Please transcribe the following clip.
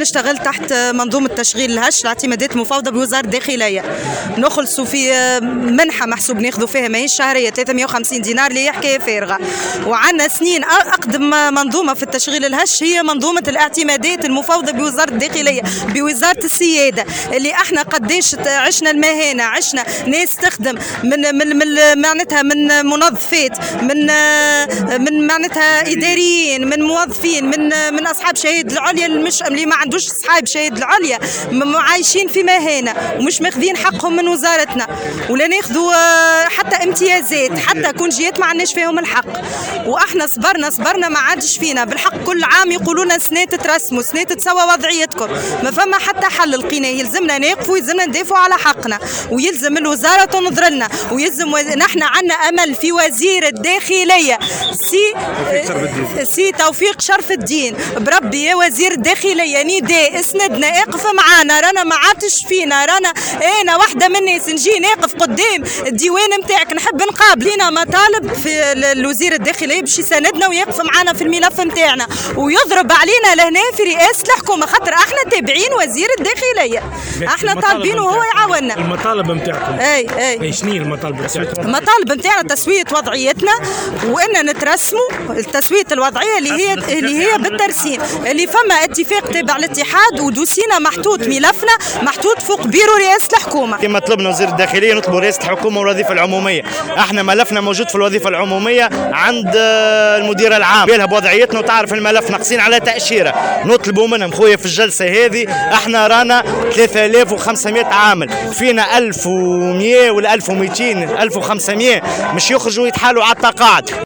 نشتغل تحت منظومة تشغيل الهش، الاعتمادات المفوضة بوزارة الداخلية. نخلصوا في منحة محسوب ناخذوا فيها ماهيش شهرية 350 دينار اللي هي حكاية فارغة. وعندنا سنين أقدم منظومة في التشغيل الهش هي منظومة الاعتمادات المفوضة بوزارة الداخلية بوزارة السيادة، اللي احنا قداش عشنا المهانة، عشنا ناس تخدم من من من معناتها من منظفات، من معناتها إداريين، من موظفين، من أصحاب شهادة العليا مش اللي ما عندوش صحاب شهادة العليا، عايشين في مهانة ومش ماخذين حقهم من وزارتنا، ولا ناخذوا حتى امتيازات، حتى كونجيات ما عندناش فيهم الحق. واحنا صبرنا ما عادش فينا بالحق. كل عام يقولوا لنا سنة تترسموا، سنة تتسوى وضعيتكم، ما فما حتى حل لقيناه. يلزمنا ناقفوا، يلزمنا ندافعوا على حقنا، ويلزم الوزارة تنظر لنا، ويلزم نحن عندنا امل في وزير الداخلية سي توفيق شرف الدين. بربي يا وزير الداخلية نداء، اسندنا، اقف معانا، رانا ما عادش فينا. رانا انا واحدة من الناس نجي ناقف قدام الديوان نتاعك، نحب نقابل. لينا مطالب في الوزير الداخلية باش يساندنا ويقف معانا في الملف نتاعنا ويضرب علينا لهنا في رئاسة الحكومة، خاطر احنا تابعين وزير الداخلية، احنا طالبين وهو يعاوننا. المطالب نتاعكم اي شنو المطالب نتاعكم؟ المطالب نتاعنا تسويه وضعيتنا، وان نترسموا تسويه الوضعية اللي هي بالترسيم، اللي فما اتفاق تابع الاتحاد ودوسينا محطوط، ملفنا محطوط فوق بيرو رئاسة الحكومة. كما طلبنا وزير الداخلية نطلب رئاسة الحكومة والوظيفة العمومية. احنا ملفنا موجود في الوظيفة العمومية عند المدير العام، بالها بوضعيتنا وتعرف الملف، ناقصين على تاشيرة. نطلبوا منهم خويا في الجلسة هذه، احنا رانا 3500 عامل، فينا 1100 ولا 1200 1500 مش يخرجوا يتحالوا على التقاعد.